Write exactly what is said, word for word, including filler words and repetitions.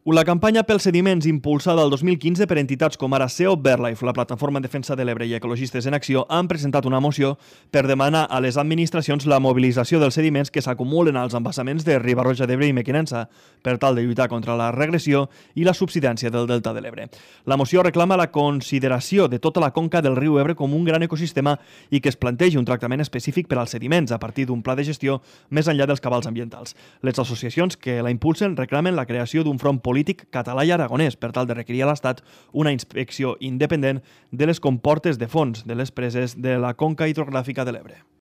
La campanya pels sediments impulsada el dos mil quinze per entitats com ara S E O BirdLife, la Plataforma en Defensa de l'Ebre i Ecologistes en Acció han presentat una moció per demanar a les administracions la mobilització dels sediments que s'acumulen als embassaments de Riba-roja d'Ebre i Mequinensa per tal de lluitar contra la regressió i la subsidència del delta de l'Ebre. La moció reclama la consideració de tota la conca del riu Ebre com un gran ecosistema i que es plantegi un tractament específic per als sediments a partir d'un pla de gestió més enllà dels cabals ambientals. Les associacions que la impulsen reclamen la creació d'un front polític polític català i aragonès per tal de requerir a l'Estat una inspecció independent de les comportes de fons de les preses de la conca hidrogràfica de l'Ebre.